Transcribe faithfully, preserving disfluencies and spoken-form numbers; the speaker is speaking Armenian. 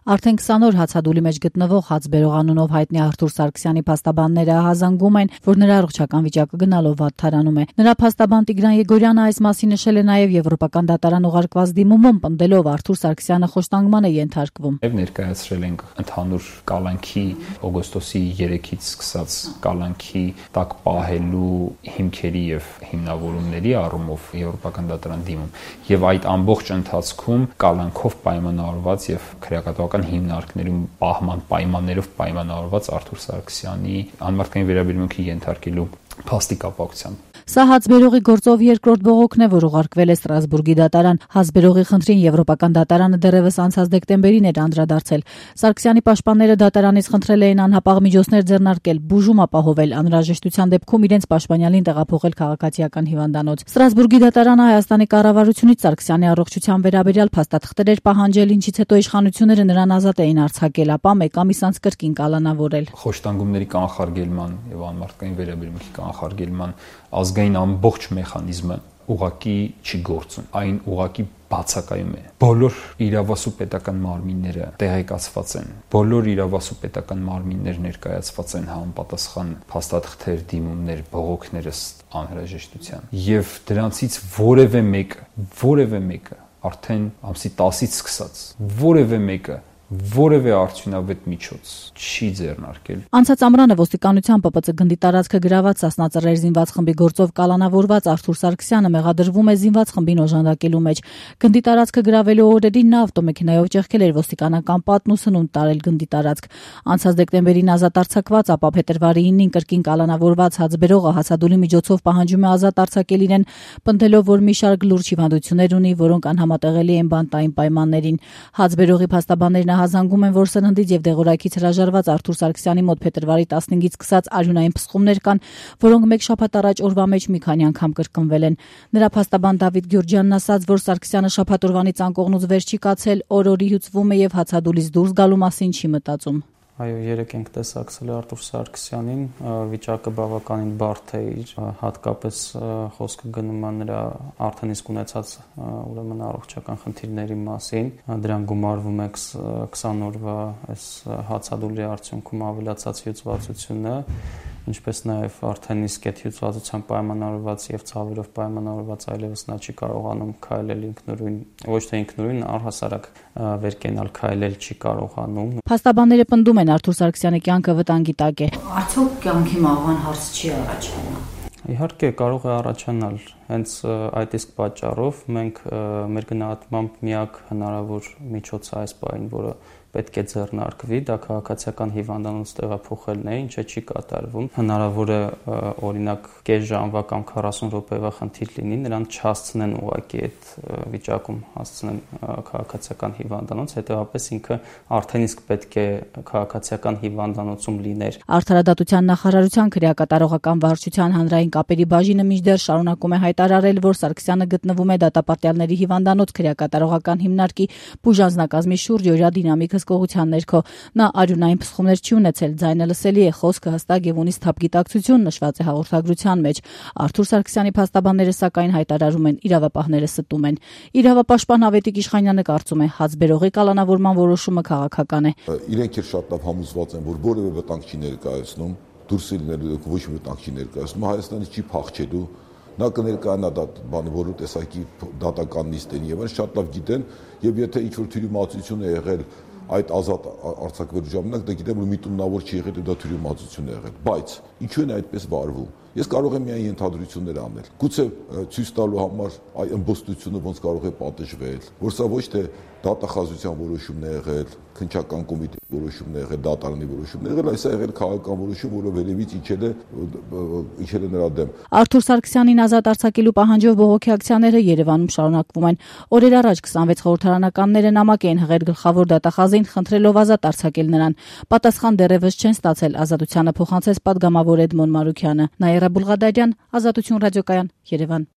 Արդեն քսան օր հացադուլի մեջ գտնվող հաց բերող անունով հայտնի Արթուր Սարգսյանի փաստաբանները հազանգում են, որ նրա առողջական վիճակը գնալով վատթարանում է։ Նրա փաստաբան Տիգրան Եգորյանը այս մասին նշել է նաև Եվրոպական դատարան ուղարկված դիմումում, պնդելով Արթուր Սարգսյանը խոշտանգման է ենթարկվում։ Եվ ներկայացրել ենք ընդհանուր կալանքի օգոստոսի երեքից սկսած կալանքի տակ պահելու հիմքերի եւ հիմնավորումների առումով Եվրոպական դատարան դիմում եւ այդ ամբողջ ընթացքում կալանքով պայմանավորված եւ քրեակատվական հիմնարկներում պահման պայմաններով պայմանավորված Արթուր Սարգսյանի անմարդկային վերաբերմունքի ենթարկելու փաստի կապակցությամբ։ Սա հացբերողի գործով երկրորդ բողոքն է, որ ուղարկվել է Ստրասբուրգի դատարան։ Հացբերողի խնդրին Եվրոպական դատարանը դեռևս անցած դեկտեմբերին էր անդրադարձել։ Սարգսյանի պաշտպանները դատարանից խնդրել էին անհապաղ միջոցներ ձեռնարկել, բուժում ապահովել, անհրաժեշտության դեպքում իրենց պաշտպանյալին տեղափոխել քաղաքացիական հիվանդանոց։ Ստրասբուրգի դատարանը Հայաստանի կառավարությունից Սարգսյանի առողջության վերաբերյալ փաստաթղթեր էր պահանջել, ինչից հետո իշխանությունները նրան ազատ էին արձակել, ապա մեկ ամիս անց կրկին կալանավորել։ Խոշտանգումների կանխարգելման եւ անմարդկային վերաբերմունքի կանխարգելման ազգային ամբողջ մեխանիզմը ուղղակի չի գործում, այն ուղղակի բացակայում է։ Բոլոր իրավասու պետական մարմինները տեղեկացված են, բոլոր իրավասու պետական մարմիններ ներկայացված են համապատասխան փաստաթղթեր, դիմումներ, բողոքներ ըստ անհրաժեշտության։ Եվ դրանցից որևէ մեկը, որևէ մեկը արդեն ամսի տասից սկսած, որևէ մեկը որևէ արդյունավետ միջոց չի ձեռնարկել։ Անցած ամռանը ոստիկանության Պ Պ Ց գնդի տարածքը գրաված Սասնա Ծռեր զինված խմբի գործով կալանավորված Արթուր Սարգսյանը մեղադրվում է զինված խմբին օժանդակելու մեջ։ Գնդի տարածքը գրավելու օրերին նա ավտոմեքենայով ճեղքել էր ոստիկանական պատն ու սնունդ տարել գնդի տարածք։ Անցած դեկտեմբերին ազատ արձակված, ապա փետրվարի ինին կրկին կալանավորված հացբերողը հացադուլի միջոցով պահանջում է ազատ արձակել իրեն, պնդելով, որ մի շարք լուրջ հիվանդություններ ունի, որոնք անհամատեղելի են բանտային պայմաններին։ Հացբերողի փաստաբաններն հազանգում են, որ սննդից եւ դեղորայքից հրաժարված Արթուր Սարգսյանի մոտ փետրվարի տասնհինգից սկսած արյունային փսխումներ կան, որոնք մեկ շաբաթ առաջ օրվա մեջ մի քանի անգամ կրկնվել են։ Նրա փաստաբան Դավիթ Գյուրջյանն ասաց, որ Սարգսյանը շաբաթ օրվանից անկողնուց վեր չի կացել, օր-օրի հյուծվում է եւ հացադուլից դուրս գալու մասին չի մտածում։ Այո, երեք ենք տեսակցել Արթուր Սարգսյանին, վիճակը բավականին բարդ է իր, հատկապես խոսքը գնում է նրա արդեն իսկ ունեցած ուրեմն առողջական խնդիրների մասին, դրան գումարվում է քսան օրվա այս հացադուլի արդյունքում ավելացած հյուծվածությունը, ինչպես նաև արդեն իսկ այդ հյուծվածության պայմանավորված եւ ցավերով պայմանավորված այլևս նա չի կարողանում քայլել ինքնուրույն, ոչ թե ինքնուրույն, առհասարակ վերկենալ քայլել չի կարողանում։ Փաստաբանները պնդում են Արթուր Սարգսյանի կյանքը վտանգի տակ է։ Արդյոք կյանքի մահվան հարց չի առաջանա։ Իհարկե կարող է առաջանալ, հենց այդ իսկ պատճառով մենք մեր գնահատմամբ միակ հնարավոր միջոցը այս պահին, որը պետք է ձեռնարկվի, դա քաղաքացիական հիվանդանոց տեղափոխելն է, ինչը չի կատարվում։ Հնարավոր է օրինակ կես ժամվա կամ քառասուն րոպեվա խնդիր լինի, նրան չհասցնեն ուղղակի այդ վիճակում հասցնեն քաղաքացիական հիվանդանոց, հետեւաբար ինքը արդեն իսկ պետք է քաղաքացիական հիվանդանոցում լիներ։ Արդարադատության նախարարության քրեակատարողական վարչության հանրային կապերի բաժինը մինչդեռ շարունակում է հայտարարել, որ Սարգսյանը գտնվում է դատապարտյալների հիվանդանոց քրեակատարողական հիմնարկի բուժանձնակազմի շուրջ օրյա դինամիկ հսկողության ներքո։ Նա արյունային փսխումներ չի ունեցել, ձայնը լսելի է, խոսքը հստակ եւ ունի սթափ գիտակցություն, նշված է հաղորդագրության մեջ։ Արթուր Սարգսյանի փաստաբանները սակայն հայտարարում են, իրավապահները ստում են։ Իրավապաշտպան Ավետիք Իշխանյանը կարծում է, հացբերողի կալանավորման որոշումը քաղաքական է։ Իրենք էլ շատ լավ համոզված են, որ որևէ վտանգ չի ներկայացնում, դուրս լինելու ոչ մի վտանգ չի ներկայացնում, Հայաստանը չի փախչելու։ Նա կներկայանա բանը որու տեսակի դատական նիստերին եւ այն շատ լավ գիտեն, եւ եթե ինչ-որ թյուրիմացություն է եղել այդ ազատ արձակվելու ժամանակ, դա գիտեմ, որ միտումնավոր չի եղել, դա թյուրիմացություն է եղել, բայց ինչու են այդպես վարվում։ Ես կարող եմ միայն ենթադրություններ անել։ Գուցե ցույց տալու համար այ ըմբոստությունը ոնց կարող է պատժվել, որ սա ոչ թե դատախազության որոշումն է եղել, քննչական կոմիտեի որոշումն է եղել, դատարանի որոշումն է եղել, այս է եղել քաղաքական որոշում, որը վերևից իջել է իջել է նրա դեմ։ Արթուր Սարգսյանին ազատ արձակելու պահանջով բողոքի ակցիաները Երևանում շարունակվում են։ Օրեր առաջ քսանվեց խորհրդարանականները նամակ էին հղել գլխավոր դատախազին, խնդրելով ազատ արձակել նրան։ Պատասխան դեռևս չեն ստացել, ազատությանը փոխանցեց պատգամավոր Էդմոն Մարուքյանը։ Նաիրա Բուլղադարյան, Ազատություն ռադիոկայան, Երևան։